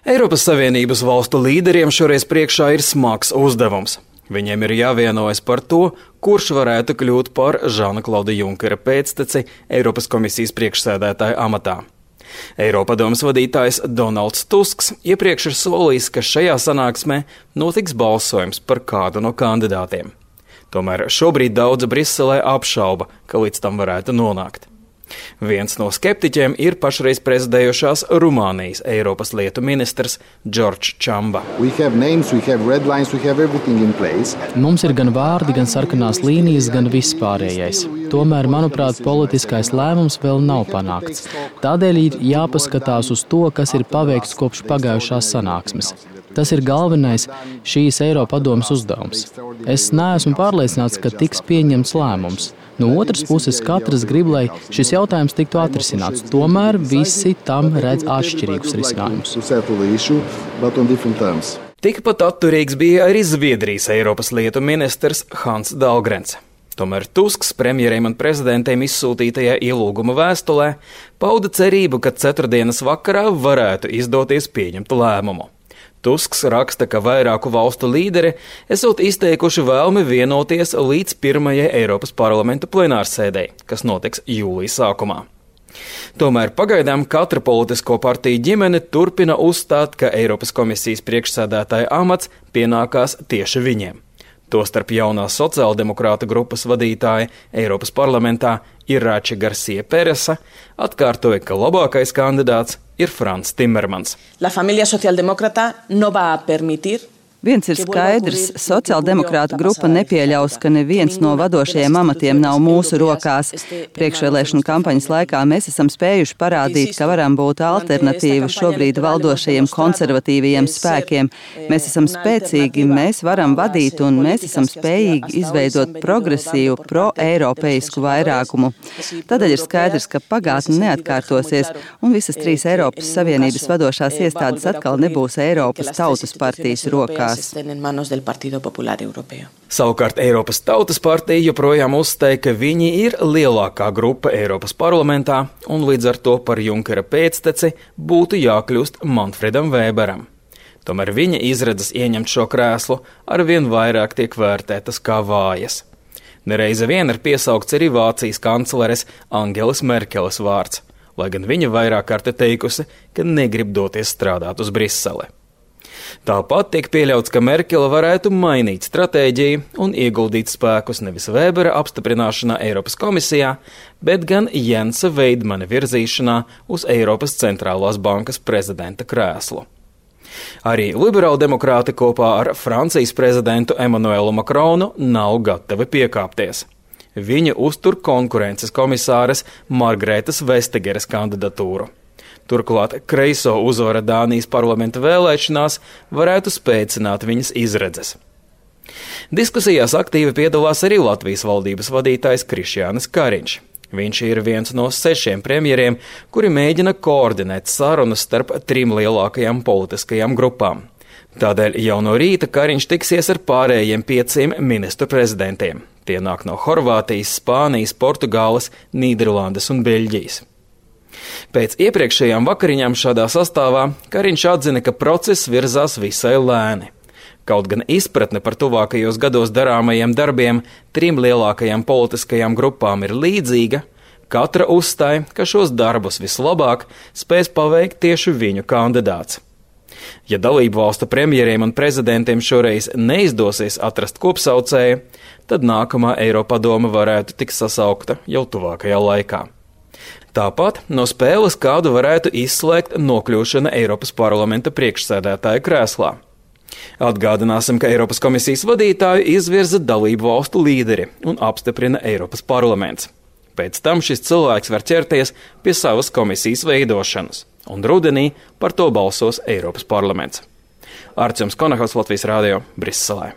Eiropas Savienības valstu līderiem šoreiz priekšā ir smags uzdevums. Viņiem ir jāvienojas par to, kurš varētu kļūt par Žana-Klauda Junkera pēcteci Eiropas komisijas priekšsēdētāja amatā. Eiropadomes vadītājs Donalds Tusks iepriekš ir solījis, ka šajā sanāksmē notiks balsojums par kādu no kandidātiem. Tomēr šobrīd daudzi Briselē apšauba, ka līdz tam varētu nonākt. Viens no skeptiķiem ir pašreiz prezidējošās Rumānijas Eiropas lietu ministrs Džordžs Čamba. Mums ir gan vārdi, gan sarkanās līnijas, gan vispārējais. Tomēr, manuprāt, politiskais lēmums vēl nav panākts. Tādēļ ir jāpaskatās uz to, kas ir paveikts kopš pagājušās sanāksmes. Tas ir galvenais šīs Eiropadomes uzdevums. Es neesmu pārliecināts, ka tiks pieņemts lēmums. No otras puses, katrs grib, lai šis jautājums tiktu atrisināts. Tomēr visi tam redz atšķirīgus risinājumus. Tikpat atturīgs bija arī Zviedrijas Eiropas lietu ministrs Hans Dahlgrens. Tomēr Tusks premjeriem un prezidentiem izsūtītajā ielūguma vēstulē pauda cerību, ka ceturtdienas vakarā varētu izdoties pieņemt lēmumu. Tusks raksta, ka vairāku valstu līderi esot izteikuši vēlmi vienoties līdz pirmajai Eiropas parlamenta plenārsēdei, kas notiks jūlijas sākumā. Tomēr pagaidām katra politisko partiju ģimene turpina uzstāt, ka Eiropas komisijas priekšsēdētāja amats pienākās tieši viņiem. Tostarp jaunās sociāldemokrāta grupas vadītāja Eiropas parlamentā Irače Garcia Peresa atkārtoja, ka labākais kandidāts ir Frans Timmermans. La familia socialdemócrata no va a permitir. Viens ir skaidrs, sociāldemokrāta grupa nepieļaus, ka neviens no vadošajiem amatiem nav mūsu rokās. Priekšvēlēšanu kampaņas laikā mēs esam spējuši parādīt, ka varam būt alternatīva šobrīd valdošajiem konservatīvajiem spēkiem. Mēs esam spēcīgi, mēs varam vadīt un mēs esam spējīgi izveidot progresīvu, pro-eiropeisku vairākumu. Tādēļ ir skaidrs, ka pagātne neatkārtosies un visas trīs Eiropas Savienības vadošās iestādes atkal nebūs Eiropas Tautas partijas rokās. Savukārt Eiropas Tautas partija joprojām uzstāja, ka viņi ir lielākā grupa Eiropas parlamentā un līdz ar to par Junkera pēcteci būtu jākļūst Manfredam Weberam. Tomēr viņa izredzes ieņemt šo krēslu arvien vairāk tiek vērtētas kā vājas. Nereize vien ir piesaukts arī Vācijas kancleres Angelas Merkeles vārds, lai gan viņa vairāk kārt teikusi, ka negrib doties strādāt uz Briseli. Tāpat tiek pieļauts, ka Merkele varētu mainīt stratēģiju un ieguldīt spēkus nevis Webera apstiprināšanā Eiropas komisijā, bet gan Jensa Veidmana virzīšanā uz Eiropas centrālās bankas prezidenta krēslu. Arī liberāldemokrāti kopā ar Francijas prezidentu Emmanuelu Macronu nav gatavi piekāpties. Viņi uztur konkurences komisāres Margretas Vestageres kandidatūru. Turklāt kreiso uzvara Dānijas parlamenta vēlēšanās varētu spēcināt viņas izredzes. Diskusijās aktīvi piedalās arī Latvijas valdības vadītājs Krišjānis Kariņš. Viņš ir viens no 6 premjeriem, kuri mēģina koordinēt sarunas starp 3 lielākajām politiskajām grupām. Tādēļ jau no rīta Kariņš tiksies ar pārējiem 5 ministru prezidentiem. Tie nāk no Horvātijas, Spānijas, Portugāles, Nīderlandes un Beļģijas. Pēc iepriekšējām vakariņām šādā sastāvā Kariņš atzina, ka process virzās visai lēni. Kaut gan izpratne par tuvākajos gados darāmajiem darbiem 3 lielākajām politiskajām grupām ir līdzīga, katra uzstāja, ka šos darbus vislabāk spēs paveikt tieši viņu kandidāts. Ja dalību valstu premjeriem un prezidentiem šoreiz neizdosies atrast kopsaucēju, tad nākamā Eiropadome varētu tikt sasaukta jau tuvākajā laikā. Tāpat no spēles kādu varētu izslēgt nokļūšana Eiropas parlamenta priekšsēdētāja krēslā. Atgādināsim, ka Eiropas komisijas vadītāju izvirza dalību valstu līderi un apstiprina Eiropas parlaments. Pēc tam šis cilvēks var ķerties pie savas komisijas veidošanas, un rudenī par to balsos Eiropas parlaments. Artjoms Konahovs, Latvijas Rādio, Briselē.